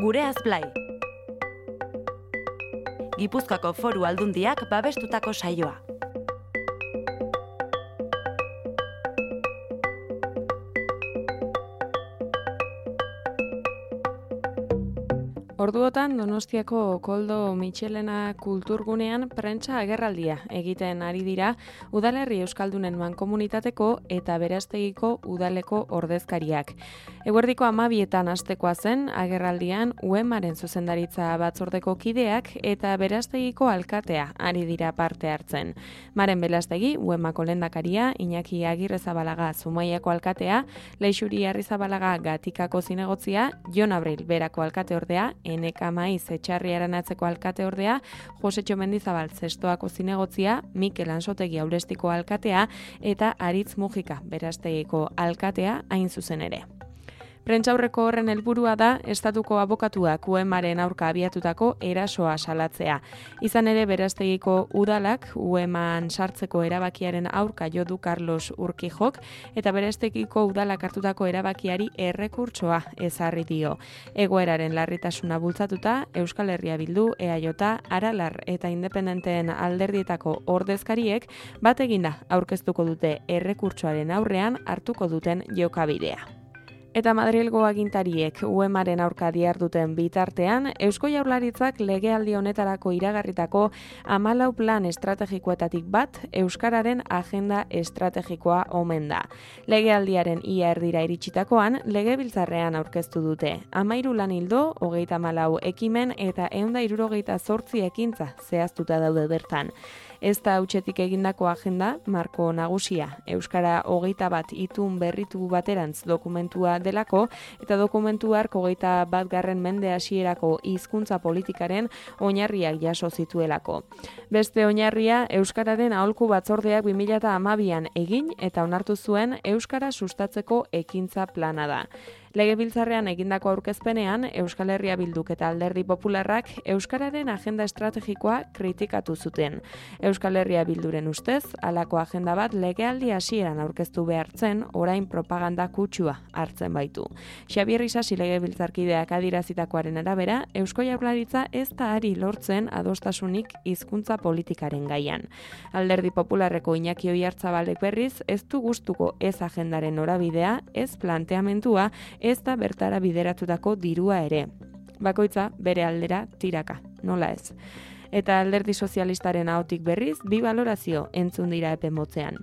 Gureaz Blai. Gipuzkoako Foru Aldundiak babestutako saioa. Orduotan Donostiako Koldo Mitxelena kulturgunean prentsa agerraldia egiten ari dira udalerri euskaldunen mankomunitateko eta Beraztegiko udaleko ordezkariak. Eguerdiko 12etan hastekoa zen agerraldian UEMaren zuzendaritza batzordeko kideak eta Beraztegiko alkatea ari dira parte hartzen. Maren Belastegi, UEMako lehendakaria, Iñaki Agirrezabalaga Zumaiako alkatea, Leixuri Arrizabalaga Gatikako zinegotzia, Jon Abril Berako alkateordea, Eneka Maiz Etxarri Aranatzeko alkateordea, Josetxo Mendizabal Zestoako zinegotzia, Mikel Ansotegi Aulestiko alkatea eta Aritz Mujika Beraztegiko alkatea hain zuzen ere. Prentsaurreko horren helburua da estatuko abokatuak UEMaren aurka abiatutako erasoa salatzea. Izan ere Beraztegiko udalak UEMan sartzeko erabakiaren aurka jo du Carlos Urquijok eta Beraztegiko udalak hartutako erabakiari errekurtsoa ezarri dio. Egoeraren larritasuna bultzatuta Euskal Herria Bildu, EAJ, Aralar eta Independenteen alderdietako ordezkariek bat eginda aurkeztuko dute errekurtsoaren aurrean hartuko duten jokabidea. Eta Madrilgo agintariek UEMaren aurka diharduten bitartean, Eusko Jaurlaritzak legealdi honetarako iragarritako 14 plan estrategikoetatik bat Euskararen agenda estrategikoa omen da. Legealdiaren ia erdira iritsitakoan, legebiltzarrean aurkeztu dute. 13 lan ildo, 34 ekimen eta 168 ekintza zehaztuta daude bertan. Ez da hutsetik egindako agenda, marko nagusia, Euskara 21 itun berritu baterantz dokumentua delako, eta dokumentu hark 21. mende hasierako hizkuntza politikaren oinarriak jaso zituelako. Beste oinarria, Euskararen aholku batzordeak 2012an egin eta onartu zuen Euskara sustatzeko ekintza plana da. Legebiltzarrean egindako aurkezpenean, Euskal Herria Bilduk eta Alderdi Popularrak Euskararen agenda estrategikoa kritikatu zuten. Euskal Herria Bilduren ustez, halako agenda bat legealdi hasieran aurkeztu behartzen, orain propaganda kutsua hartzen baitu. Xabier Isasi legebiltzarkideak adierazitakoaren arabera, Eusko Jaurlaritza ez da ari lortzen adostasunik hizkuntza politikaren gaian. Alderdi Popularreko Iñaki Oiartzabalek berriz, ez du gustuko ez agendaren norabidea, ez planteamentua, ez da bertara bideratutako dirua ere. Bakoitza bere aldera tiraka, nola ez. Eta Alderdi Sozialistaren ahotik berriz, bi balorazio entzun dira epe motzean.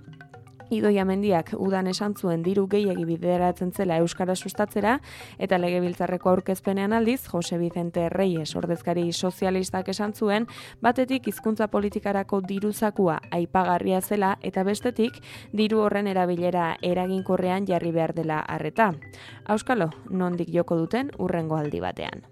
Idoia Mendiak udan esan zuen diru gehiegi bideratzen zela Euskara sustatzera, eta legebiltzarreko aurkezpenean aldiz, Jose Vicente Reyes ordezkari sozialistak esan zuen, batetik hizkuntza politikarako diruzakua aipagarria zela, eta bestetik diru horren erabilera eraginkorrean jarri behar dela arreta. Auskalo, nondik joko duten urrengo aldi batean.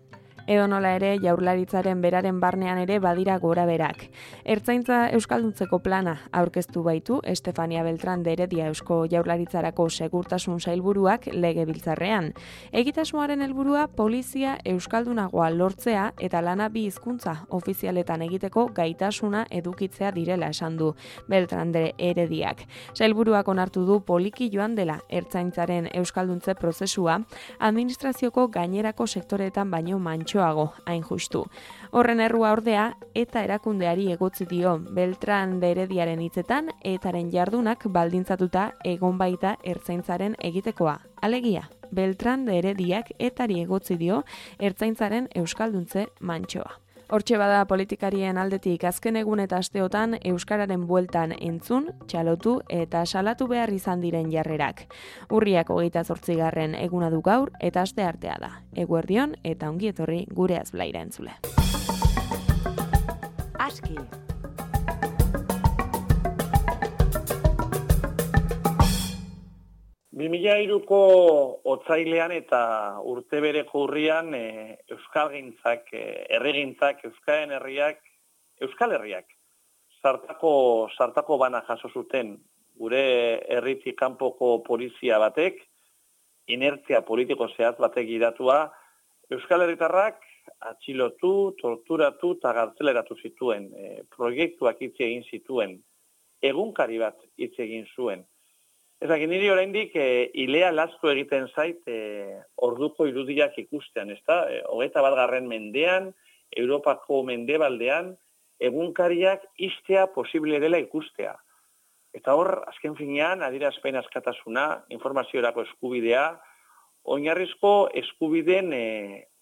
Edonola ere, Jaurlaritzaren beraren barnean ere badira gora berak. Ertzaintza euskalduntzeko plana aurkeztu baitu Estefania Beltrán de Heredia Eusko Jaurlaritzarako segurtasun sailburuak legebiltzarrean. Egitasmoaren helburua polizia euskaldunagoa lortzea eta lana bi hizkuntza ofizialetan egiteko gaitasuna edukitzea direla esan du Beltrán de Herediak. Sailburuak onartu du poliki joan dela ertzaintzaren euskalduntze prozesua, administrazioko gainerako sektoreetan baino mantxoago, hain justu. Horren errua ordea, eta erakundeari egotzi dio Beltrán de Herediaren hitzetan, etaren jardunak baldintzatuta egon baita ertzaintzaren egitekoa. Alegia, Beltrán de Herediak etari egotzi dio ertzaintzaren euskalduntze mantxoa. Hortxe bada politikarien aldetik azken egun eta asteotan Euskararen bueltan entzun, txalotu eta salatu behar izan diren jarrerak. Urriak 28. eguna du gaur eta asteartea da. Eguerdion eta ongi etorri Gureaz Blaira entzule. Aski. Ko otsailean eta urte bereko urrian euskalgintzak, herrigintzak, euskaren herriak, Euskal Herriak sartako bana jaso zuten gure herritik kanpoko polizia batek, inertzia politiko zehaz batek gidatua, Euskal Herritarrak atxilotu, torturatu eta gartzeleratu zituen, proiektuak hitz egin zituen, egunkari bat hitz egin zuen. Ezak, niri oraindik ilea lastu egiten zait orduko irudiak ikustean, ezta? 21. mendean, Europako mendebaldean, egunkariak istea posible dela ikustea. Eta hor, azken finean, adierazpen askatasuna, informaziorako eskubidea, oinarrizko eskubideen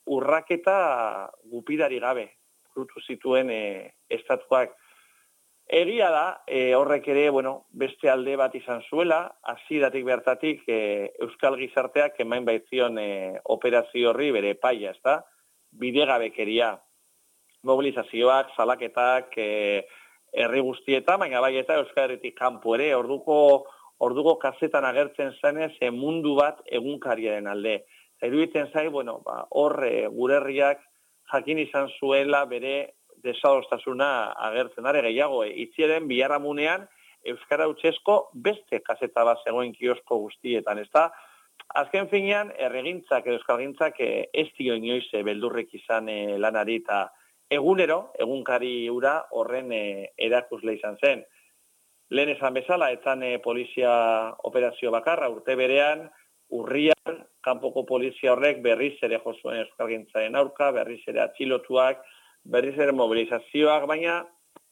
urraketa gupidari gabe, frutu zituen estatuak. Egia da, horrek ere, beste alde bat izan zuela, hasieratik bertatik Euskal Gizarteak emain baitzion operazio horri bere paia, ezta? Bidegabekeria, mobilizazioak, salaketak, herri guztietan, baina bai eta Euskal Herritik kanpo ere, orduko kazetan agertzen zenez mundu bat egunkariaren alde. Iruditzen zai, hor gure herriak jakin izan zuela bere desadostasuna agertzen are gehiago. Itziaren biharamunean Euskara hutsezko beste kaseta bat zegoen kiosko guztietan, ezta? Azken finean, erregintzak edo euskalgintzak ez dio inoiz beldurrek izan lanari eta egunero, egunkari hura horren erakusle izan zen. Lehen esan bezala, etzan polizia operazio bakarra, urte berean, urrian, kanpoko polizia horrek berriz ere jozuen euskalgintzaren aurka, berriz ere atxilotuak, berriz ere mobilizazioak, baina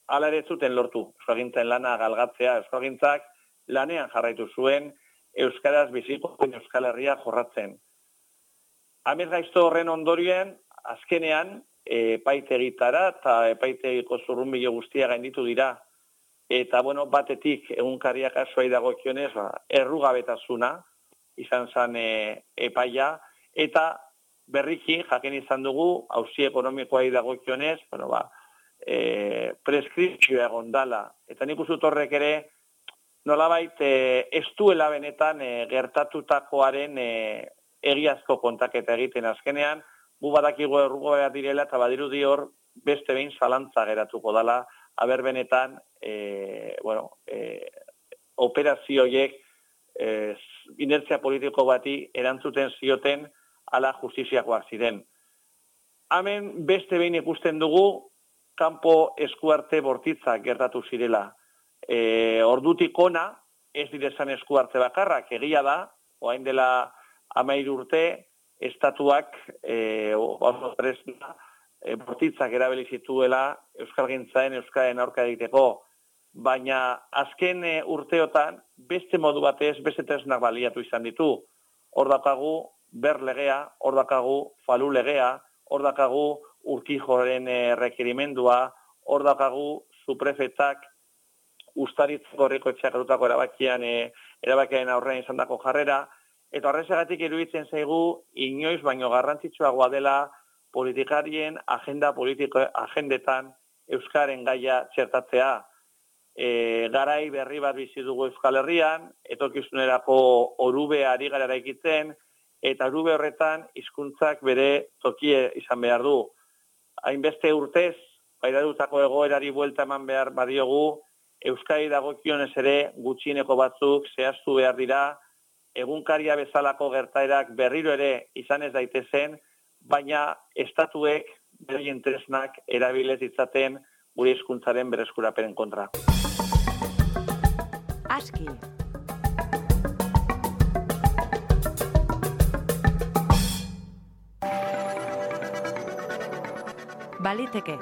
hala ere zuten lortu. Euskalgintzaren lana galgatzea, euskalgintzak lanean jarraitu zuen, euskaraz biziko Euskal Herria jorratzen. Amez gaizto horren ondorien, azkenean, epaitegitara eta epaitegiko zurrunbilo guztia gainditu dira. Eta, batetik egunkariak asoai dagokionez, errugabetasuna izan zen epaia, eta berriki, jaken izan dugu, auzi ekonomikoai dagokionez, preskripzioa egon dala. Eta nik uzut horrek ere, nolabait, ez duela benetan gertatutakoaren egiazko kontaketa egiten azkenean, gu badakigu errugoa direla eta badirudi hor beste behin zalantza geratuko dala, aber benetan, operazioiek inertzia politiko bati erantzuten zioten ala justiziakoak ziren. Hemen beste behin ikusten dugu kanpo eskuarte bortitzak gertatu zirela. Ordutik ona, ez direzan eskuarte bakarrak, egia da, orain dela 13 urte, estatuak bortitzak erabili zituela euskalgintzaen euskaren aurka egiteko, baina azken urteotan beste modu batez, beste tresnak baliatu izan ditu. Hor dakagu ber legea, hor dakagu falu legea, hor dakagu Urkijoren rekerimendua, hor dakagu suprefetak ustaritzeko herriko etxeak hartutako erabakiaren aurrean izan dako jarrera, eta horrezagatik iruditzen zaigu inoiz baino garrantzitsuagoa dela politikarien agendetan euskaren gaia txertatzea. Garai berri bat bizi dugu Euskal Herrian, etorkizunerako orube ari gara eraikitzen, eta orube horretan hizkuntzak bere tokie izan behar du. Hainbeste urtez, pairatutako egoerari buelta eman behar badiogu, Euskadi dagokionez ere gutxieneko batzuk zehaztu behar dira, egunkaria bezalako gertaerak berriro ere izan ez daitezen, baina estatuek beraien tresnak erabilez ditzaten gure hizkuntzaren berreskurapenen kontra. Aski. Baliteke.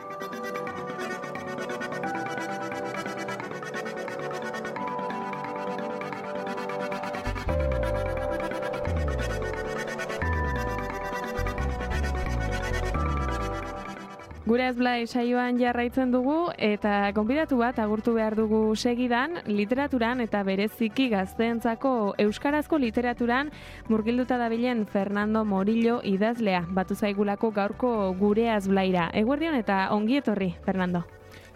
Gure Blai saioan jarraitzen dugu eta gonbidatu bat agurtu behar dugu segidan, literaturan eta bereziki gazteentzako euskarazko literaturan murgilduta dabilen Fernando Morillo idazlea batu zaigulako gaurko Gure Blaira. Eguerdion eta ongi etorri, Fernando.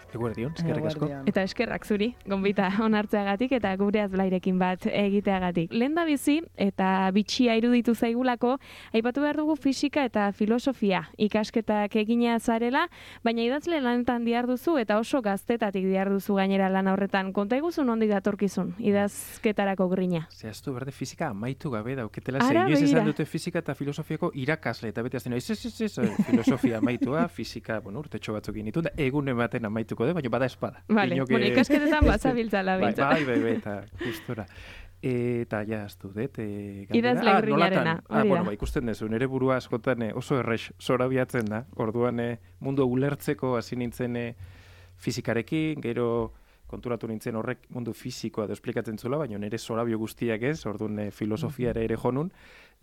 Eguerdion, eskerrik asko. Eta eskerrak zuri, gonbita onartzeagatik eta Gure Blairekin bat egiteagatik. Lehen da bizi eta bitxia iruditu zaigulako, aipatu behar dugu fisika eta filosofia ikasketak egina zarela, baina idazle lanetan diharduzu eta oso gaztetatik diharduzu gainera lan horretan. Konta iguzu nondi datorkizun, idazketarako grina? Zehaztu berde fisika amaitu gabe dauketela, inoiz esan dute fisika eta filosofiako irakasle, eta beti azten, ez, filosofia amaitua, fisika, urtetxo batzuk initu, da egun ematen amaitu baina bada espada. Vale, ikasketetan bazabiltzala bintzala. Bai, eta gustora. Eta ja, aztu dut. Idazle grinarena, hori da. Ikusten dezu, nire burua askotan oso errex zorabiatzen da. Orduan mundu ulertzeko hasi nintzen fizikarekin, gero konturatu nintzen horrek mundu fizikoa da esplikatzen zula, baina nire zorabio guztiak ez, orduan filosofiara ere jonun,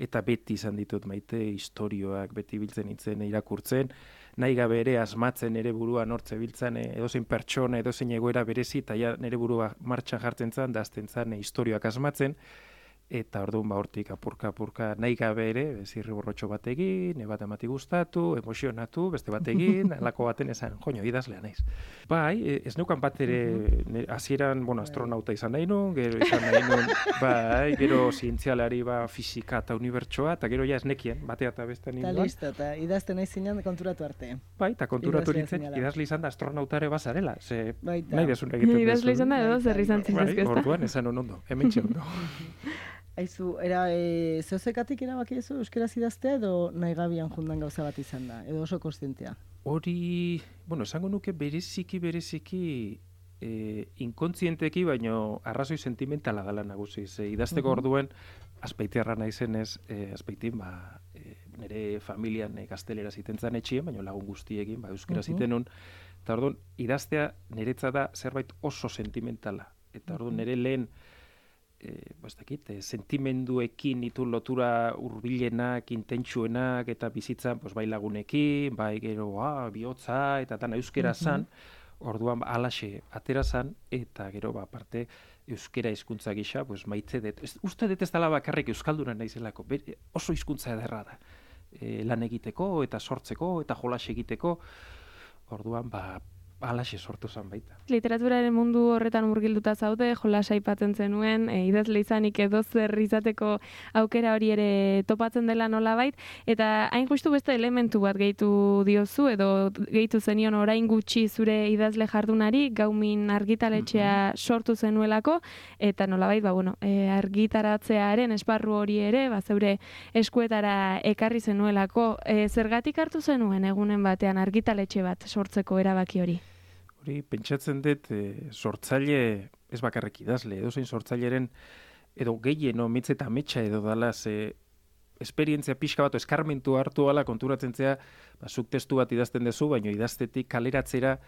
eta beti izan ditut maite historioak, beti biltzen nintzen irakurtzen, nahi gabe ere asmatzen ere burua nortze biltzen edozein pertsona, edozein egoera berezi, eta ja nire burua martxan jartzen zen, da azten zen historioak asmatzen, eta orduan hortik apurka nahi gabe ere, zirri borrotxo bat egin, bat emati gustatu, emozionatu, beste bat egin, alako baten esan, joño, idazlea naiz. Bai, ez neukan bat ere, hasieran, astronauta izan nahi nun, gero izan nahi nun, bai, gero zientzialari fisika eta unibertsoa, eta gero ja ez nekien, batea eta beste ninduan. Eta listo, eta idazten nahi zinean konturatu arte. Bai, eta konturatu nintzen, idazle izan da astronautare bazarela, ze nahi desun egiten dezu. Idazle izan da edo zer izan zintzezkezta. Bai, orduan esan ondo, hemen ondo. Aizu, zehozekatik erabaki ezu euskeraz idaztea edo nahi gabian jundan gauza bat izan da, edo oso konstientea? Hori, esango nuke bereziki inkontzienteki, baino arrazoi sentimentala dela nagusi. Idazteko orduen, azpeitiarra naizenez, azpeitin, nire familian gaztelera ziten zan etxien, baino lagun guztiekin, euskera ziten nun, eta orduan, idaztea niretza da zerbait oso sentimentala. Eta orduan, nire lehen, sentimenduekin ditu lotura hurbilenak, intentsuenak eta bizitzan bai lagunekin, bai gero bihotza eta tan euskera zan, orduan alaxe atera zan, eta gero aparte euskera hizkuntza gisa maite dut. Uste dut ez dela bakarrik euskalduna naizelako, oso hizkuntza ederra da. Lan egiteko eta sortzeko eta jolas egiteko, orduan alaxe sortu zen baita. Literaturaren mundu horretan murgilduta zaude, jolas aipatzen zenuen, idazle izanik edo zer izateko aukera hori ere topatzen dela nolabait, eta hain justu beste elementu bat gehitu diozu, edo gehitu zenion orain gutxi zure idazle jardunari, Gaumin argitaletxea sortu zenuelako, eta nolabait, argitaratzearen esparru hori ere, zeure eskuetara ekarri zenuelako, zergatik hartu zenuen egunen batean argitaletxe bat sortzeko erabaki hori? Pentsatzen dut, sortzaile, ez bakarrik idazle, edozein sortzaileren, edo gehien, mitz eta metxa edo dala, esperientzia pixka bat, eskarmentu hartu ala konturatzen zea, zuk testu bat idazten dezu, baina idaztetik kaleratzera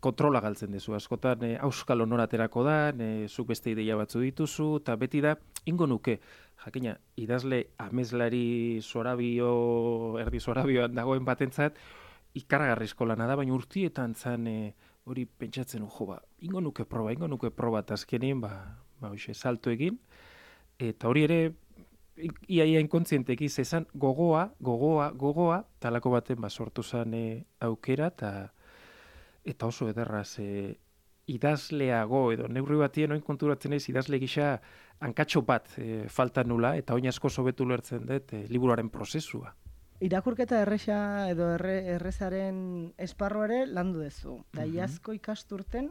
kontrola galtzen dezu. Askotan, auskal onoraterako da, zuk beste ideia batzu dituzu, eta beti da, ingo nuke, jakina, idazle amezlari erdi zorabioan dagoen batentzat, ikaragarrizko lana da, baina urtietan zan hori pentsatzen, ingo nuke proba, eta azkenien, salto egin, eta hori ere, iaia inkontzienteki zezan gogoa, talako baten sortu zan aukera, eta oso ederraz idazleago, edo neurri batien oin konturatzen ez, idazle gisa hankatxo bat falta nula, eta oin asko sobetu lertzen dut liburuaren prozesua. Irakurketa erresa edo errezaren esparruare landu dezu. Da iazko ikasturten,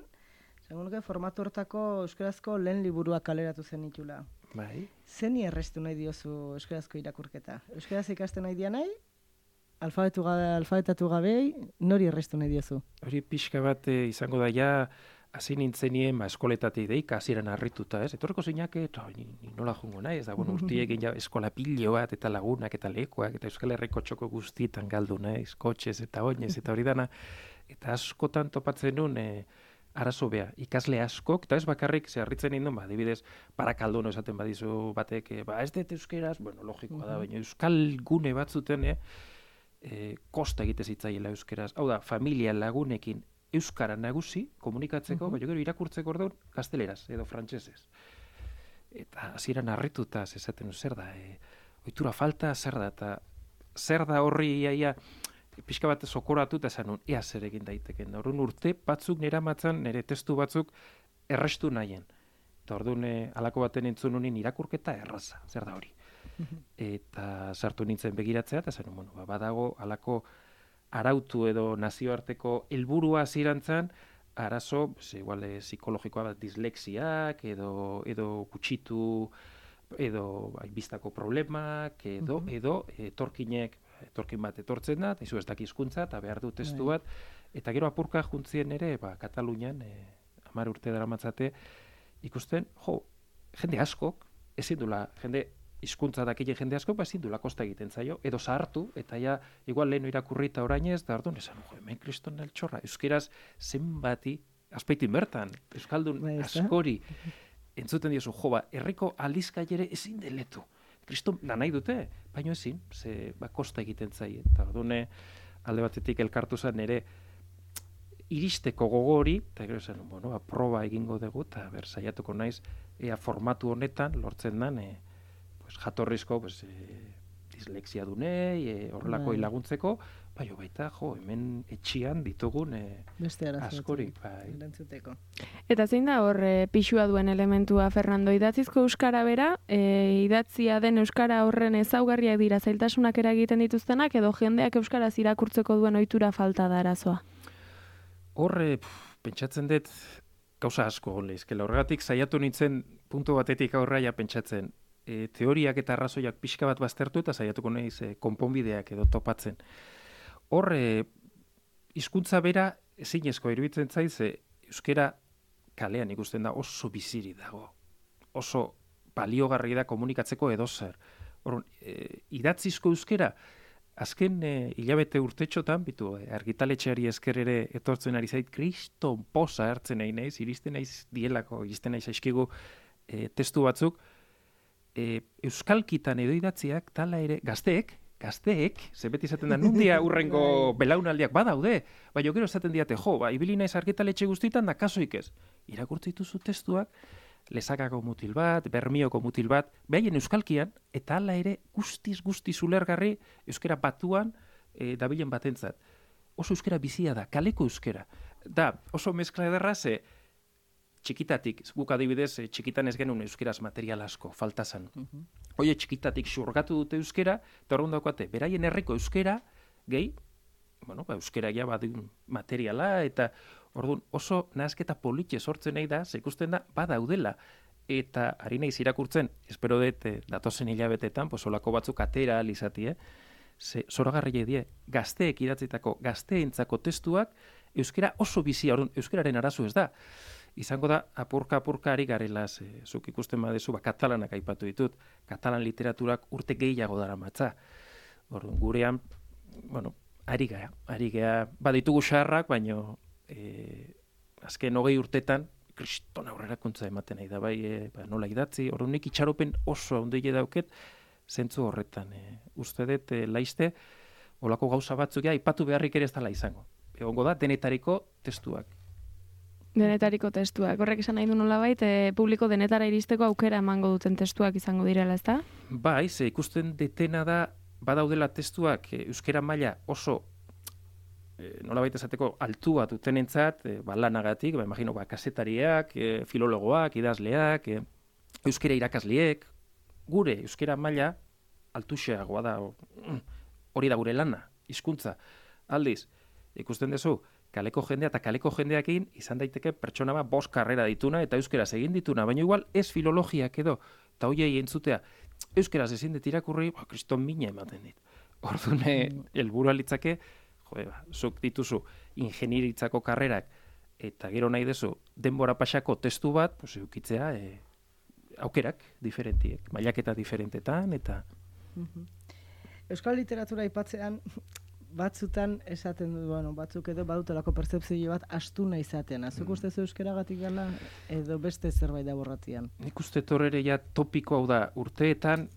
segun formatu hortako euskarazko lehen liburuak kaleratu zen itula. Bai. Zeni errestu nahi diozu euskarazko irakurketa? Euskaraz ikasten nahi dia nahi? Alfabetatu gabei, nori errestu nahi diozu? Hori pixka bat izango da ja, hasi nintzenien eskoletatik deika, hasieran harrituta, ez? Etorreko zeinak, ni nola jungo nahi, ez da, urtiek eskola pilo bat, eta lagunak, eta lekoak, eta Euskal Herriko txoko guztietan galdu, naiz, kotxez eta oinez, eta hori dana, eta askotan topatzen nun, arazo beha, ikasle askok, eta ez bakarrik, harritzen nindun, adibidez, Barakaldono esaten badizu batek, ez dut euskeraz, logikoa da, baina euskal gune batzuten, kosta egite zitzaiela euskeraz, hau da, familia lagunekin, euskara nagusi, komunikatzeko, baina gero irakurtzeko orduan, gazteleraz edo frantsesez. Eta hasieran harrituta esaten zer da, ohitura falta, zer da, eta zer da horri iaia, pixka bat sokoratu eta esan nun, ea zer egin daiteken. Orduan urte batzuk nire amatzen, nire testu batzuk errestu nahien. Eta orduan halako baten entzun honin irakurketa erraza, zer da hori. Eta sartu nintzen begiratzea, eta esan nun, badago halako arautu edo nazioarteko helburua zirantzan, arazo, igual psikologikoa bat dislexiak, edo gutxitu, edo biztako problemak, edo etorkin bat etortzen da, izu ez daki hizkuntza eta behar du testu bat, eta gero apurka juntzien ere, Katalunian, 10 urte daramatzate, ikusten, jende askok, ezin dula, hizkuntza dakile jende asko, ezin dula kosta egiten zaio, edo zahartu, eta ja, igual lehenu irakurri eta orainez, da orduan esan, hemen kriston altxorra, euskeraz zenbati, azpeitin bertan, euskaldun askori, entzuten diozu, herriko aldizkaiere ezin deletu. Kriston nahi dute, baina ezin, ze kosta egiten zaie. Eta orduan alde batetik elkartu zen ere iristeko gogori, eta gero zen, proba egingo dugu, eta saiatuko naiz, ea formatu honetan lortzen den, jatorrizko dislexia dunei, horrelako laguntzeko, baita, hemen etxian ditugun askori. Eta zein da hor pixua duen elementua, Fernando, idatzizko euskara bera, idatzia den euskara horren ezaugarriak dira zailtasunak eragiten dituztenak, edo jendeak euskaraz irakurtzeko duen ohitura falta da arazoa? Hor, pentsatzen dut, gauza asko leizkela. Horregatik saiatu nintzen puntu batetik aurraia pentsatzen, teoriak eta arrazoiak pixka bat baztertu eta saiatuko naiz konponbideak edo topatzen. Hor, hizkuntza bera ezinezko iruditzen zaiz, euskera kalean ikusten da oso biziri dago. Oso baliogarri da komunikatzeko edozer. Hor, idatzizko euskera, azken hilabete urtetxotan, argitaletxeari esker ere etortzen ari zait, kriston posa hartzen nahi naiz, iristen naiz dielako, iristen naiz aizkigu testu batzuk, euskalkitan edo idatziak, tala ere, gazteek, ze beti izaten da, nundia urrengo belaunaldiak badaude, baina gero esaten diate, ibili naiz argitaletxe guztietan da kasoik ez. Irakurtzen dituzu testuak, Lezakako mutil bat, Bermioko mutil bat, behaien euskalkian, eta hala ere guztiz ulergarri euskera batuan dabilen batentzat. Oso euskera bizia da, kaleko euskera. Da, oso mezkla ederra ze txikitatik, guk adibidez, txikitan ez genuen euskeraz material asko, faltazan. Oie txikitatik xurgatu dute euskera, eta horren daukate, beraien herriko euskera, gehi, euskera ja badun materiala, eta orduan oso nahazketa politxe sortzen nahi da, ze ikusten da, badaudela, eta ari naiz irakurtzen, espero dut, datozen hilabetetan, olako batzuk atera alizati, zoragarri die, gazteek idatzitako, gazteentzako testuak, euskera oso bizia, orduan, euskeraren arazo ez da. Izango da, apurka ari garela, zuk ikusten badezu, katalanak aipatu ditut, katalan literaturak urte gehiago dara matza. Orduan, gurean, ari gea, baditugu xarrak, baino, azken 20 urtetan, kriston aurrerakuntza ematen nahi da, nola idatzi, orduan nik itxaropen oso ondile dauket, zentzu horretan. Uste dut, laizte, olako gauza batzuk aipatu beharrik ere ez dela izango. Egongo da, denetariko testuak. Denetariko testuak. Horrek esan nahi du nolabait, publiko denetara iristeko aukera emango duten testuak izango direla, ezta? Bai, ze ikusten detena da, badaudela testuak euskera maila oso nolabait esateko altua dutenentzat, lanagatik, imagino, kasetariak, filologoak, idazleak, euskera irakasleek, gure euskera maila altuxeagoa da, hori da gure lana, hizkuntza. Aldiz, ikusten duzu, kaleko jendea eta kaleko jendeakin izan daiteke pertsona bat 5 karrera dituna eta euskeraz egin dituna, baina igual ez filologiak edo, eta hoiei entzutea, euskeraz ezin dut irakurri, kriston mina ematen dit. Orduan, helburua litzake, zuk dituzu ingenieritzako karrerak, eta gero nahi dezu denbora pasako testu bat, eukitzea aukerak diferentiek, mailaketa diferentetan, eta... Euskal literatura aipatzean, batzutan esaten du, batzuk edo badutelako pertzepzio bat astuna izaten. Azuk uste zu euskeragatik gala edo beste zerbait da borratian? Nik uste torrere ja topiko hau da urteetan,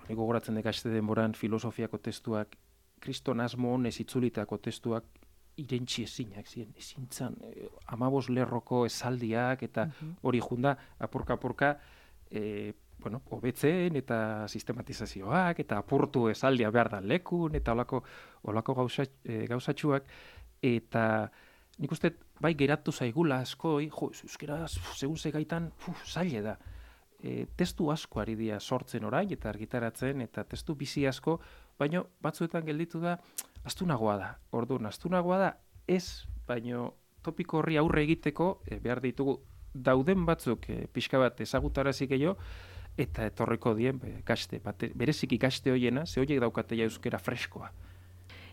gogoratzen dekaste denboran filosofiako testuak, kriston asmo honez itzulitako testuak irentxi ezinak ziren, ezintzan, 15 lerroko esaldiak eta hori junda apurka, hobetzen eta sistematizazioak eta apurtu esaldia behar da lekun eta olako gauzatxuak eta nik uste bai geratu zaigula askoi, euskera segun segaitan zaile da. Testu asko ari dira sortzen orain eta argitaratzen eta testu bizi asko, baina batzuetan gelditu da astunagoa da. Orduan, astunagoa da ez, baina topiko horri aurre egiteko behar ditugu dauden batzuk pixka bat ezagutarazik gehiago, eta etorriko dien bereziki kaste hoiena, ze horiek daukatea euskera freskoa.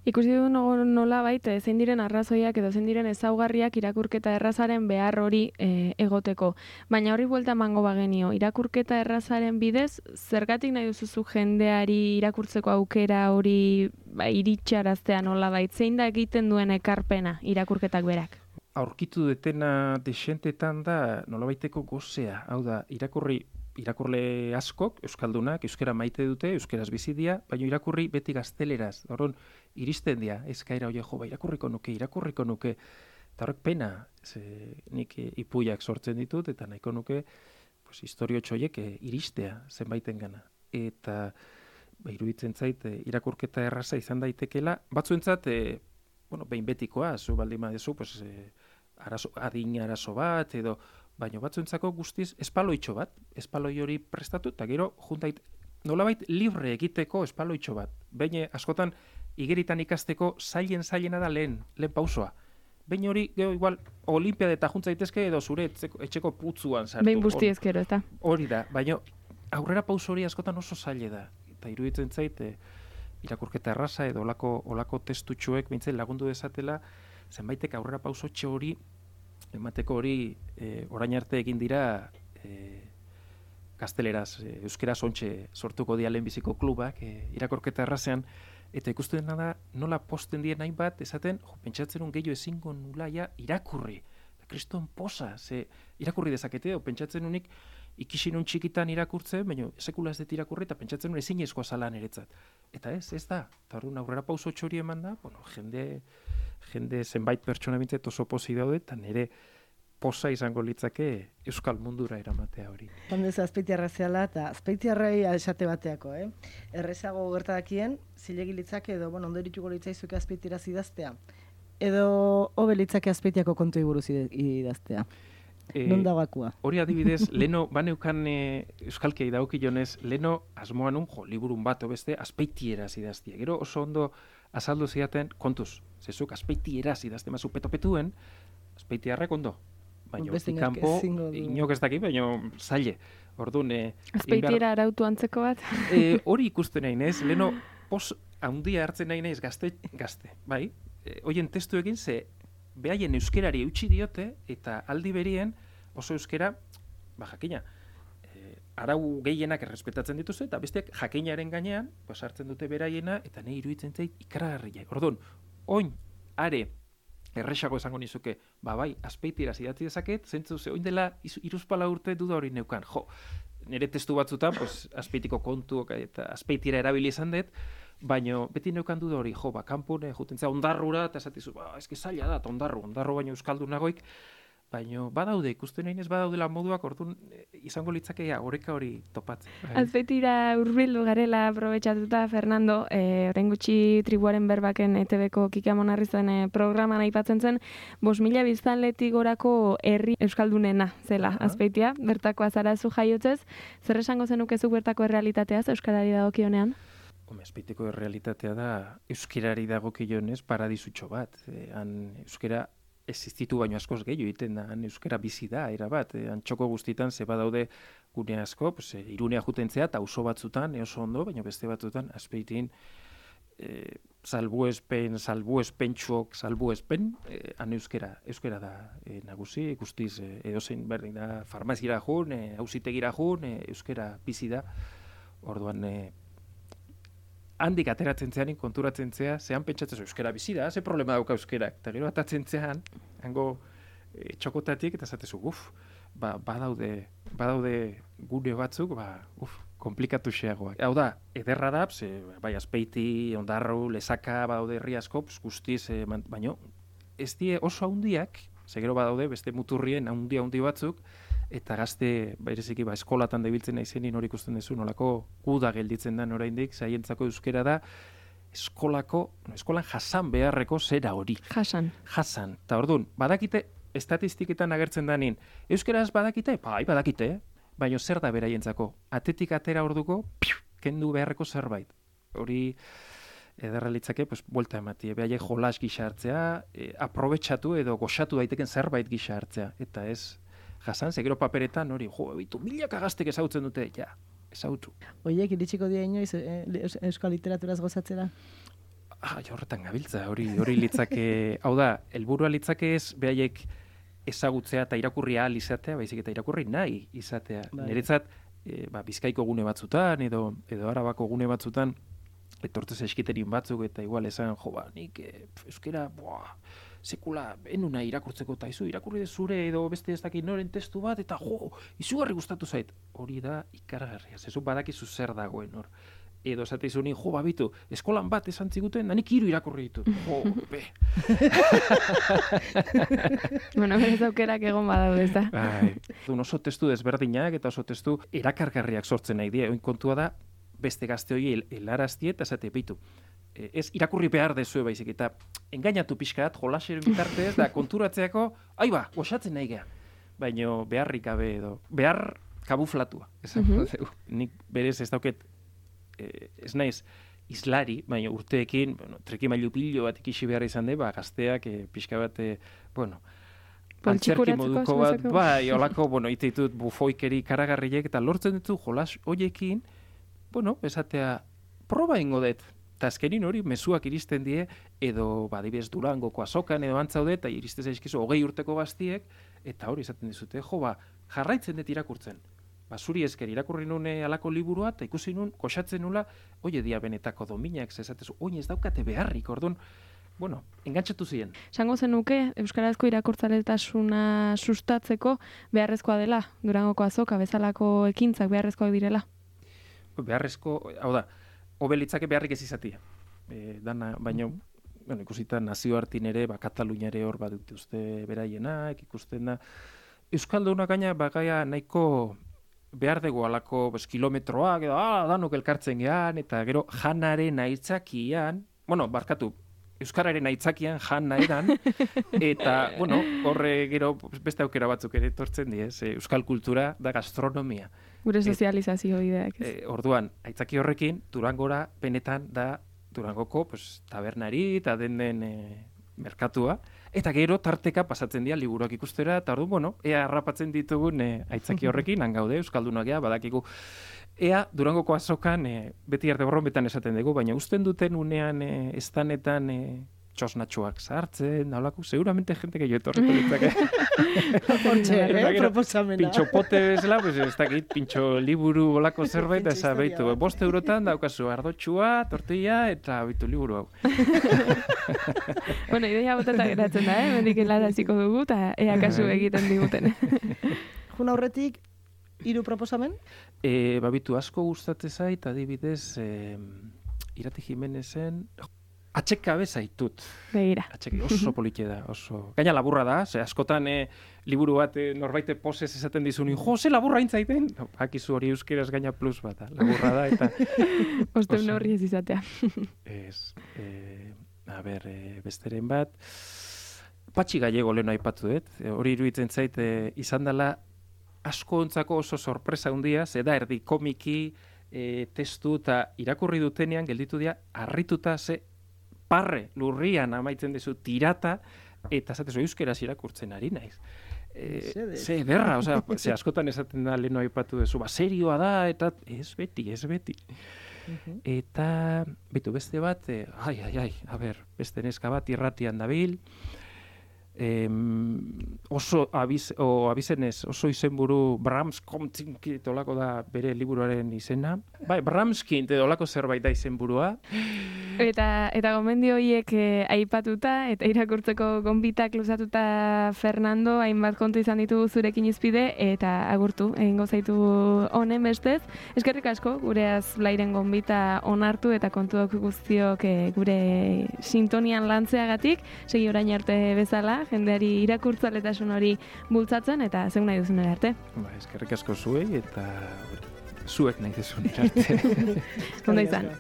Ikusi du nola baita, zein diren arrazoiak edo zein diren ezaugarriak irakurketa errazaren behar hori egoteko. Baina hori buelta emango bagenio, irakurketa errazaren bidez, zergatik nahi duzuzu jendeari irakurtzeko aukera hori iritsaraztea nola baita, zein da egiten duen ekarpena irakurketak berak? Aurkitu detena desentetan da nolabaiteko gozea. Hau da, irakurle askok, euskaldunak, euskera maite dute, euskeraz bizi dira, baina irakurri beti gazteleraz. Horren, iristen dira, eskaira hori irakurriko nuke. Eta horrek pena, nik ipuiak sortzen ditut, eta nahiko nuke, historio txoiek iristea zenbaiten gana. Eta iruditzen zait, irakurketa erraza izan daitekela, batzuentzat, behin betikoa, zu baldin badezu, adin arazo bat, edo, baina batzuentzako guztiz espaloitxo bat, espaloi hori prestatu, eta gero juntait nolabait libre egiteko espaloitxo bat. Behin askotan igeritan ikasteko zailena da lehen pausoa. Behin hori, gero igual, olimpiade eta juntzaitezke edo zure etxeko putzuan sartu. Behin busti ezkero, ez da? Hori da, baina aurrera pauso hori askotan oso zaile da. Eta iruditzen zait, irakurketa erraza edo olako testutxoek bintzen lagundu dezatela, zenbaitek aurrera pauso txe hori, emateko hori orain arte egin dira gazteleraz, euskeraz ontxe sortuko dia lehenbiziko klubak irakurketa errazean, eta ikusten da nola posten dien nahi bat, esaten, pentsatzen un gehiago ezingo nulaia irakurri. Kriston posa, irakurri dezakete, pentsatzen unik ikisin un txikitan irakurtzen, baina sekula ez dut irakurri, eta pentsatzen un ezin eskoa zalan eretzat. Eta ez da. Eta hori aurrera pauso txori eman da, jende zenbait pertsona bintzet oso posi daude, eta nire posa izango litzake euskal mundura eramatea hori. Handez azpeitiarra zehala, eta azpeitiarrai esate bateako, errezago gertadakien, zilegi litzake edo, ondorituko litzaizuke azpeitira idaztea, edo hobe litzake azpeitiako kontui buruz idaztea. Non dagakua? Hori adibidez, leno, baneukan euskalkei daukionez, leno asmoan liburun bat beste azpeitieraz idaztia. Gero oso ondo azaldu zidaten, kontuz, zezuk azpeitieraz idazte mazu petopetuen, azpeitiarrek ondo. Baina hortik kanpo, inok ez daki, baina zaile. Orduan, azpeitiera arautu antzeko bat? Hori ikusten nahi nez, leno pos handia hartzen nahi nez gazte, bai? Hoien testu egin ze, behaien euskerari eutxi diote, eta aldi berien oso euskera, jakina, arau gehienak errespetatzen dituzte, eta besteak jakinaren gainean, hartzen dute beraiena, eta nahi iruditzen zait ikaragarria. Orduan, oin, are, erresago esango nizuke, bai, azpeitiraz idatzi dezaket, zentzu ze, oin dela iruzpala urte duda hori neukan. Nire testu batzutan, azpeitiko kontuak eta azpeitira erabili izan dut, baina beti neukan duda hori, kanpone, jutentzea ondarrura, eta esatizu, eski zaila da, ondarru baino euskaldun nagoik, baina badaude, ikusten nahi ez badaudela moduak, orduan izango litzakea oreka hori topatzen. Azpeitira hurbildu garela aprobetxatuta, Fernando, orain gutxi tribuaren berbaken ETV-ko Kike Amonarrizen programan aipatzen zen, 5.000 biztanletik gorako herri euskaldunena zela Azpeitia, bertakoa zara zu jaiotzez, zer esango zenukezuk bertako errealitateaz euskarari dagokionean? Azpeitiko errealitatea da euskarari dagokionez paradisutxo bat. Euskara existitu baino askoz gehiago egiten da, euskara bizi da, erabat, txoko guztitan ze badaude gune asko, Irunea jutentzea eta auzo batzutan, oso ondo, baina beste batzutan, Azpeitin, salbuespen, han euskara da nagusi, guztiz edozein berdin da, farmaziara jun, auzitegira jun, euskara bizi da, orduan, handik ateratzen zean, konturatzen zea, zehan pentsatzen euskara bizi da, ze problema dauka euskerak, eta gero atatzen zean, hango txokotatik, eta zatezu, badaude gune batzuk, komplikatu xeagoak. Hau da, ederra da, bai, Azpeiti, Ondarru, Lezaka, badaude herri asko, guztiz, baino, ez die oso handiak, gero badaude, beste muturrien handi batzuk, eta gazte, bereziki, eskolatan debiltzen naizenin hori ikusten duzu, nolako guda gelditzen da oraindik, zaientzako euskera da, eskolan jasan beharreko zera hori. Jasan. Eta orduan, badakite, estatistiketan agertzen danin, euskeraz badakite? Bai, badakite, baina zer da beraientzako? Atetik atera orduko, kendu beharreko zerbait. Hori, ederra litzake, buelta ematie, behaiek jolas gisa hartzea, aprobetxatu edo goxatu daiteken zerbait gisa hartzea, eta ez, jasan, gero paperetan hori, milaka gaztek ezautzen dute, ezautu. Oiek iritsiko dira inoiz euskal literaturaz gozatzera? horretan gabiltza, hori litzake, hau da, helburua litzake ez, behaiek ezagutzea eta irakurri ahal izatea, baizik eta irakurri nahi izatea. Niretzat, Bizkaiko gune batzutan, edo Arabako gune batzutan, etortez eskiterin batzuk, eta igual esan, nik euskera, sekula, enuna irakurtzeko eta irakurri zure edo beste ez dakit noren testu bat, eta izugarri gustatu zait. Hori da ikaragarria, zezu badakizu zer dagoen hor. Edo esate izuni, babitu, eskolan bat esan ziguten, nanik 3 irakurri ditut. Be. Bueno, berez aukerak egon badaude, ez da. Oso testu desberdinak eta oso testu erakargarriak sortzen nahi dira. Kontua da, beste gazte hori helaraztie eta esate bitu. Ez irakurri behar dezue baizik, eta engainatu pixkat, jolaseren bitartez, da konturatzeako, goxatzen nahi geha. Baina beharrik gabe edo, behar kabuflatua. Nik berez ez dauket, ez naiz islari, baina urteekin, trikimailu pilo bat ikisi behar izan de, gazteak pixka bat, antzerki moduko bat, olako, ititut bufoikeri karagarriek, eta lortzen ditu jolas hoiekin, esatea, proba ingo dut, eta azkenin hori mezuak iristen die, edo, adibidez Durangoko azokan, edo antzaude, eta iristen zaizkizu 20 urteko gaztiek, eta hori esaten dizute, jarraitzen dut irakurtzen. Zuri esker irakurri nune alako liburua, eta ikusi nun, koxatzen nula, dia benetako dominak, zezatezu, ez daukate beharrik, orduan, engantzatu ziren. Sango zenuke, euskarazko irakurtzaletasuna sustatzeko beharrezkoa dela, Durangoko azoka, bezalako ekintzak beharrezkoak direla? Beharrezko, hau da, hobelitzake beharrik ez izatia. Baina, ikusita nazioartin ere, Katalunia ere hor badute uste beraienak, ikusten da. Euskaldunak gaina, bagaia nahiko behar dugu alako kilometroak, edo danok elkartzen gehan, eta gero janaren aitzakian, euskararen aitzakian jana edan, eta, horre gero beste aukera batzuk ere etortzen di, euskal kultura da gastronomia. Gure sozializazio ideak. Orduan, aitzaki horrekin, Durangora benetan da Durangoko tabernari eta den merkatua, eta gero tarteka pasatzen dira liburuak ikustera, eta orduan, ea harrapatzen ditugun aitzaki horrekin, hangaude, euskaldunak ea, badakigu, ea Durangoko azokan beti arte borrometan esaten dugu, baina usten duten unean estanetan txosnatxoak sartzen, naulako, seguramente jente gehiago etorriko ditzake. Proposamena. Pintxo pote bezala, ez dakit, pintxo liburu olako zerbait, eta beitu, 5 eurotan daukazu ardotxua, tortilla, eta beitu liburu hau. Ideia botata geratzen da, mendik helaraziko dugu, eta ea kasu egiten diguten. Jun aurretik, 3 proposamen? Babitu asko gustatzen zait, adibidez, Irati Jimenezen, Atxekabe zaitut. Begira. Oso politia da, oso. Gaina laburra da, askotan liburu bat norbaite posez esaten dizunin, ze laburra intzaiten? Hakizu hori euskeraz gaina plus bat, laburra da, eta... Osteun horri ez izatea. Ez, besteren bat, Patxi Gallego lehen aipatu dut, hori iruditzen zait izan dela asko ontzako oso sorpresa handia, da erdi komiki, testu eta irakurri dutenean gelditu dira, harrituta parre lurrian amaitzen dezu tirata, eta zatezu euskeraz irakurtzen ari naiz. Ze ederra, askotan esaten da lehen aipatu dezu, serioa da, eta ez beti. Eta, beste bat, beste neska bat irratian dabil, oso abizenez, oso izenburu Bramskint olako da bere liburuaren izena. Bramskint olako zerbait da izenburua. Eta gomendio horiek aipatuta, eta irakurtzeko gonbitak luzatuta Fernando, hainbat kontu izan ditugu zurekin izpide, eta agurtu, egingo zaitu honen bestez. Eskerrik asko, gure azblairen gonbita onartu eta kontuak guztiok gure sintonian lantzeagatik, segi orain arte bezala, jendeari irakurtzaletasun hori bultzatzen, eta zeun nahi duzun arte. Eskerrik asko zuei, eta zuek nahi duzun arte. Ondo izan.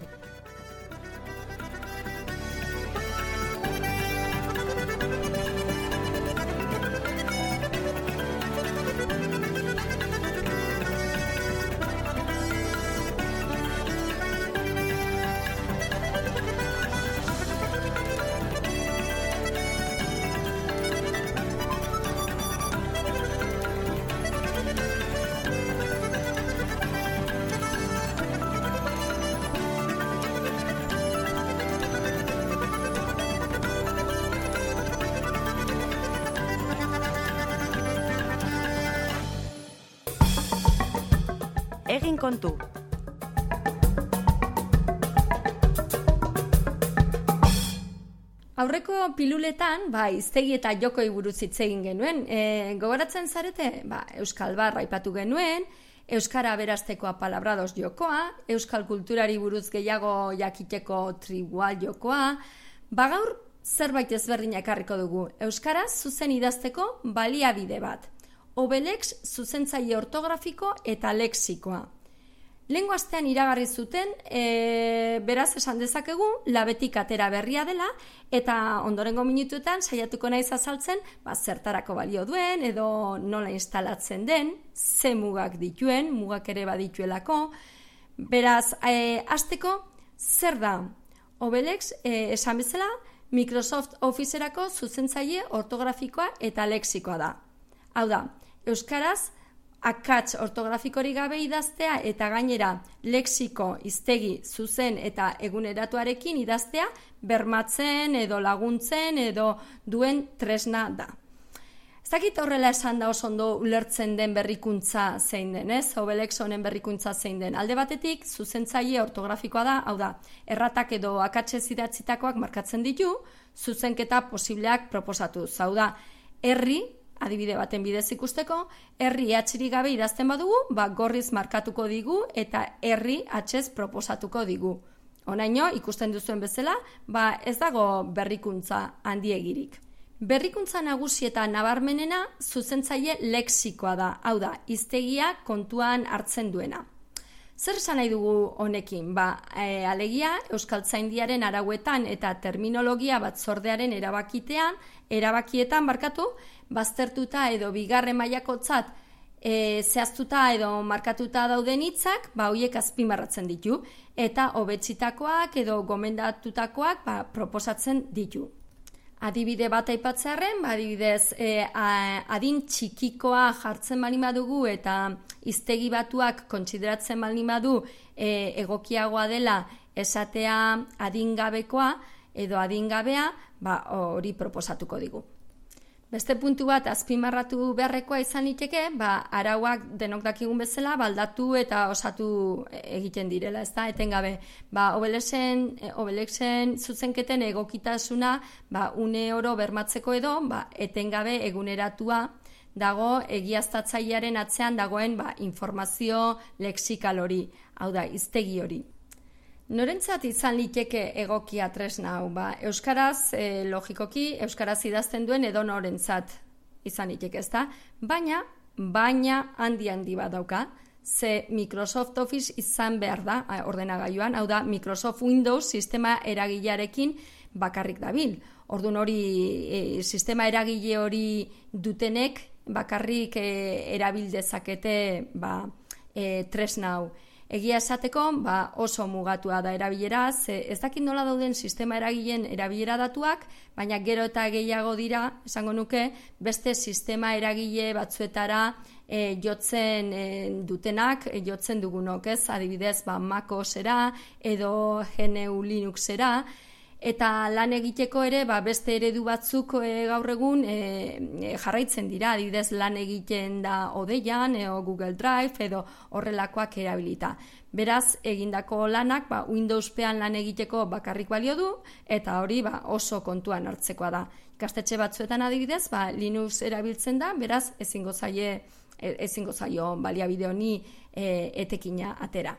Egin kontu. Aurreko piluletan, hiztegi eta jokoi buruz hitz egin genuen. Gogoratzen zarete? Euskal Bar aipatu genuen, euskara beraztekoa palabrados jokoa, euskal kulturari buruz gehiago jakiteko tribal jokoa. Gaur zerbait ezberdina ekarriko dugu. Euskara zuzen idazteko baliabide bat. Obelex zuzentzaile ortografiko eta lexikoa. Lehengo astean iragarri zuten, beraz esan dezakegu, labetik atera berria dela, eta ondorengo minutuetan saiatuko naiz azaltzen, zertarako balio duen, edo nola instalatzen den, ze mugak dituen, mugak ere badituelako. Beraz, hasteko zer da? Obelex, esan bezala, Microsoft Officerako zuzentzaile ortografikoa eta lexikoa da. Hau da, euskaraz, akats ortografikorik gabe idaztea eta gainera lexiko, hiztegi, zuzen eta eguneratuarekin idaztea bermatzen edo laguntzen edo duen tresna da. Ez dakit horrela esan da oso ondo ulertzen den berrikuntza zein den, ez? Obelex honen berrikuntza zein den. Alde batetik, zuzentzaile ortografikoa da, hau da, erratak edo akatsez idatzitakoak markatzen ditu, zuzenketa posibleak proposatuz. Hau da, herri, adibide baten bidez ikusteko, herri atxiri gabe idazten badugu, gorriz markatuko digu eta herri atxez proposatuko digu. Honaino, ikusten duzuen bezala, ez dago berrikuntza handiegirik. Berrikuntza nagusi eta nabarmenena zuzentzaile lexikoa da, hau da, hiztegia kontuan hartzen duena. Zer esan nahi dugu honekin? Alegia, Euskaltzaindiaren arauetan eta terminologia batzordearen erabakietan baztertuta edo bigarren mailakotzat zehaztuta edo markatuta dauden hitzak, horiek azpimarratzen ditu, eta hobetzitakoak edo gomendatutakoak proposatzen ditu. Adibide bat aipatzearren, adibidez, adin txikikoa jartzen baldin badugu eta hiztegi batuak kontsideratzen baldin badu egokiagoa dela esatea adingabekoa edo adingabea, hori proposatuko digu. Beste puntu bat azpimarratu beharrekoa izan liteke, arauak denok dakigun bezala baldatu eta osatu egiten direla, ezta? Etengabe, Obelexen zuzenketen egokitasuna une oro bermatzeko edo, etengabe eguneratua dago egiaztatzailearen atzean dagoen informazio lexikal hori, hau da, hiztegi hori. Norentzat izan liteke egokia tresna hau? Euskaraz, logikoki, euskaraz idazten duen edo norentzat izan liteke, ezta? Baina handi bat dauka, ze Microsoft Office izan behar da ordenagailuan, hau da, Microsoft Windows sistema eragilearekin bakarrik dabil. Orduan hori, sistema eragile hori dutenek bakarrik erabil dezakete tresna hau. Egia esateko, oso mugatua da erabilera, ez dakit nola dauden sistema eragileen erabilera datuak, baina gero eta gehiago dira, esango nuke, beste sistema eragile batzuetara jotzen dutenak, jotzen dugunok, ez? Adibidez, MacOSera edo GNU Linuxera, eta lan egiteko ere beste eredu batzuk gaur egun jarraitzen dira, adibidez lan egiten da Odeian edo Google Drive edo horrelakoak erabilita. Beraz, egindako lanak Windowspean lan egiteko bakarrik balio du eta hori oso kontuan hartzekoa da. Ikastetxe batzuetan adibidez, Linux erabiltzen da, beraz ezingo zaio baliabide honi etekina atera.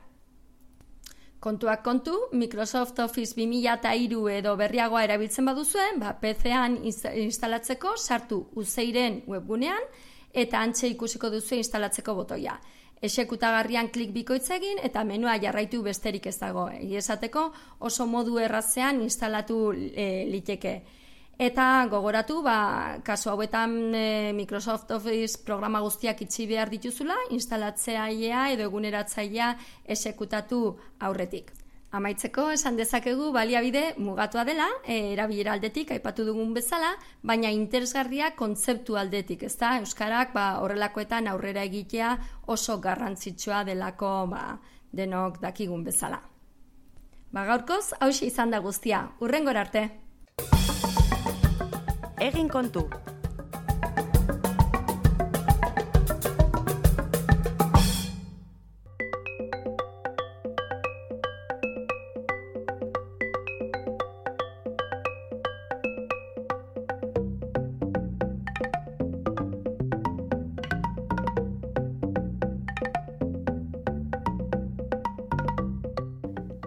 Kontuak kontu, Microsoft Office 2003 edo berriagoa erabiltzen baduzuen, PC-an instalatzeko sartu Uzeiren webgunean eta hantxe ikusiko duzu instalatzeko botoia. Exekutagarrian klik bikoitza egin eta menua jarraitu besterik ez dago. Esateko oso modu errazean instalatu liteke. Eta gogoratu, kasu hauetan Microsoft Office programa guztiak itxi behar dituzula, instalatzailea edo eguneratzailea exekutatu aurretik. Amaitzeko, esan dezakegu baliabide mugatua dela, erabilera aldetik, aipatu dugun bezala, baina interesgarria kontzeptu aldetik, ezta? Euskarak horrelakoetan aurrera egitea oso garrantzitsua delako denok dakigun bezala. Gaurkoz, hauxe izan da guztia. Hurrengora arte! Egin kontu.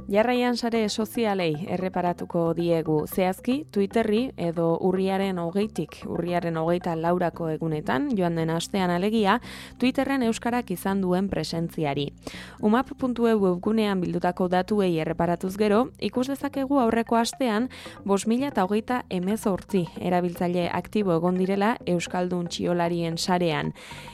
Jarraian sare sozialei erreparatuko diegu zehazki Twitterri edo urriaren 24 egunetan, joan den astean alegia, Twitterren euskarak izan duen presentziari. umap.eu webgunean bildutako datuei erreparatuz gero, ikus dezakegu aurreko astean 5.028 erabiltzaile aktibo egon direla euskaldun txiolarien sarean.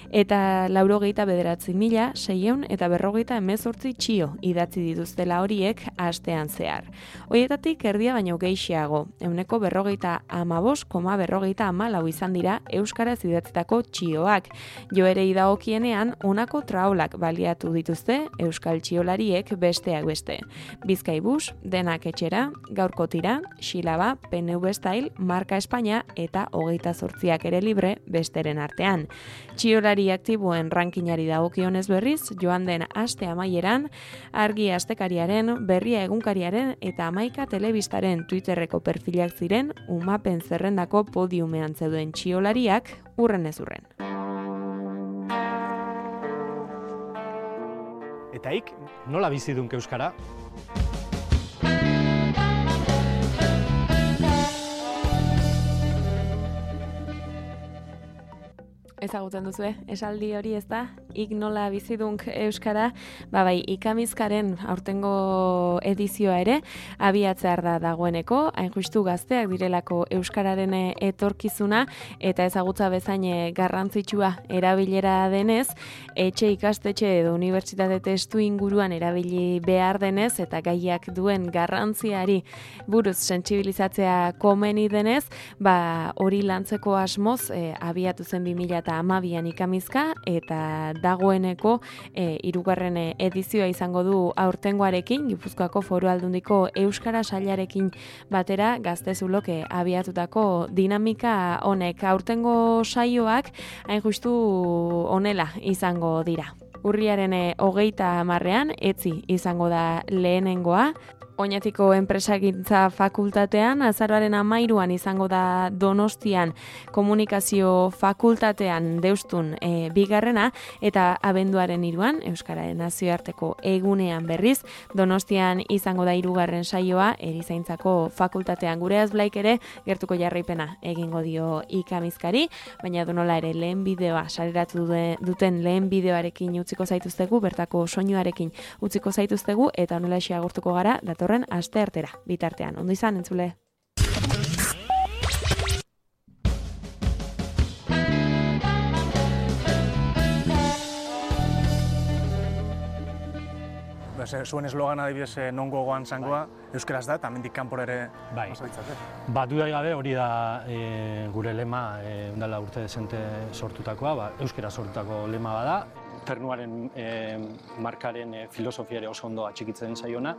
Eta 89.648 txio idatzi dituztela horiek astean zehar. Horietatik erdia baino gehiago, 45,44 izan dira euskaraz idatzitako txioak. Joerei dagokienean honako traolak baliatu dituzte euskal txiolariek besteak beste. Bizkaibus, Denak etxera, Gaurko tira, Xilaba, PNV Style, Marka Espainia eta 28ak ere libre besteren artean. Txiolari aktiboen rankingari dagokionez berriz, joan den aste amaieran, Argi astekariaren, Berria egunkariaren eta Amaika telebistaren Twitterreko perfilak ziren umapen zerrendako podiumean zeuden txiolariak urren ez urren. Eta ik, nola bizidunk euskara? Ezagutzen duzue, esaldi hori ez da, ik nola bizidunk euskara, bai, ikamizkaren aurtengo edizioa ere, abiatzear da dagoeneko, hain justu gazteak direlako euskararen etorkizuna, eta ezagutza bezain garrantzitsua erabilera denez, etxe ikastetxe edo unibertsitate testu inguruan erabili behar denez, eta gaiak duen garrantziari buruz sentsibilizatzea komeni denez, hori lantzeko asmoz abiatu zen 2012an ikamizka, eta dagoeneko hirugarren edizioa izango du aurtengoarekin, Gipuzkoako Foru Aldundiko Euskara Sailarekin batera Gaztezulok abiatutako dinamika honek. Aurtengo saioak hain justu honela izango dira. Urriaren 30ean etzi izango da lehenengoa, Oñatiko enpresagintza fakultatean, azaroaren 13ean izango da Donostian komunikazio fakultatean Deustun bigarrena, eta abenduaren 3ean, Euskararen nazioarteko egunean berriz, Donostian izango da 3. saioa erizaintzako fakultatean. Gure Azblaik ere gertuko jarraipena egingo dio ikamizkari, baina donola ere lehen bideoa sareratu duten lehen bideoarekin utziko zaituztegu, bertako soinuarekin utziko zaituztegu, eta honela agurtuko gara datorren asteartera. Bitartean, ondo izan, entzule. Zuen eslogan adibidez non gogoan zangoa, euskaraz da, eta mendik kanpora ere pasaditzate. Dudarik gabe hori da gure lema, ondala urte dezente sortutakoa, euskara sortutako lema bada. Ternuaren markaren filosofia ere oso ondo atxikitzen zaiona,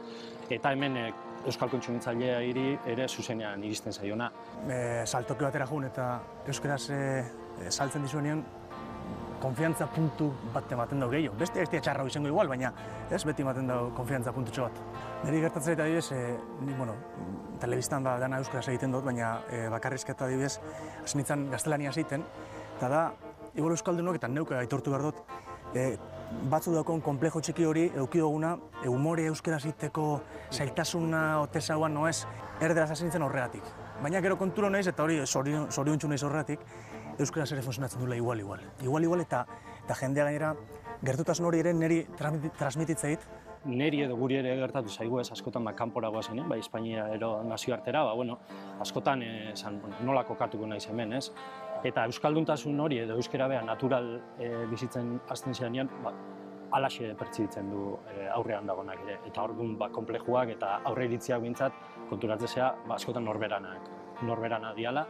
eta hemen euskal kontsumitzaileari ere zuzenean iristen zaiona. Saltoki batera jun eta euskaraz saltzen dizuenean, konfiantza puntu bat ematen dago gehiago. Beste ez txarra izango igual, baina ez beti ematen dago konfiantza puntutxo bat. Neri gertatzen eta adibidez, telebistan dana euskaraz egiten dut, baina bakarrizketa adibidez, hasi nintzen gaztelania egiten, eta da, igual euskaldunok eta neuk aitortu behar dut, batzu daukon komplejo txiki hori eukidoguna, humore euskaraz egiteko zailtasuna otezauan noez, erderaz hasi nintzen horregatik. Baina gero konturo naiz eta hori zoriontsu naiz horregatik, euskaraz ere funtzionatzen duela igual. Igual eta jendea gainera gertutasun hori ere niri transmititzeit. Neri edo guri ere gertatu zaigu ez askotan kanpora goazen, Espainia ero nazioartera, askotan nola kokatuko naiz hemen, ez? Eta euskalduntasun hori edo euskara beha natural bizitzen hasten zenean, alaxe pertsibitzen du aurrean dagonak ere. Eta orduan konplejuak eta aurre iritziak bintzat konturatzea askotan norberana diala.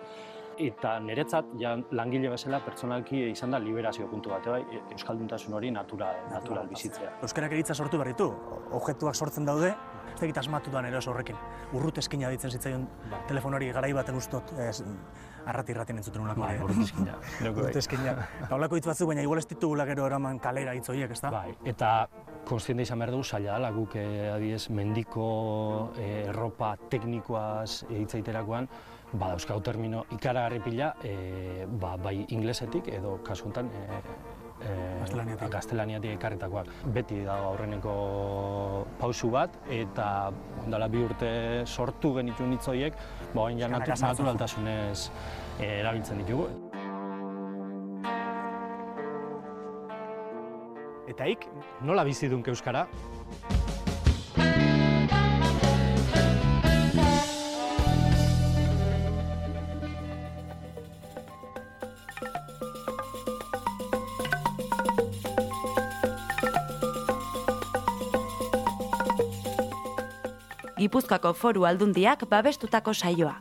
Eta niretzat, langile bezala, pertsonalki izan da liberazio puntu bat, euskalduntasun hori natural bizitzea. Euskarak eritza sortu behar ditu, objektuak sortzen daude, ez dakit asmatutan ere oso horrekin. Urrut eskina ditzen zitzaion telefonari garai baten ustot, arrati-irratien entzuten unako. Urrut eskina. Eta holako hitz batzuk, baina igual ez ditugula gero eraman kalera hitz horiek, ez da? Bai, eta konstiente izan behar dugu zaila dela, guk adiez mendiko erropa teknikoaz hitzaiterakoan, dauzkagu termino ikaragarri pila, bai inglesetik edo kasu honetan gaztelaniatik ekarritakoak. Beti dago aurreneko pausu bat, eta ondala 2 urte sortu genituen hitz horiek, baina ja naturaltasunez erabiltzen ditugu. Eta ik, nola bizi dunk euskara? Gipuzkoako Foru Aldundiak babestutako saioa.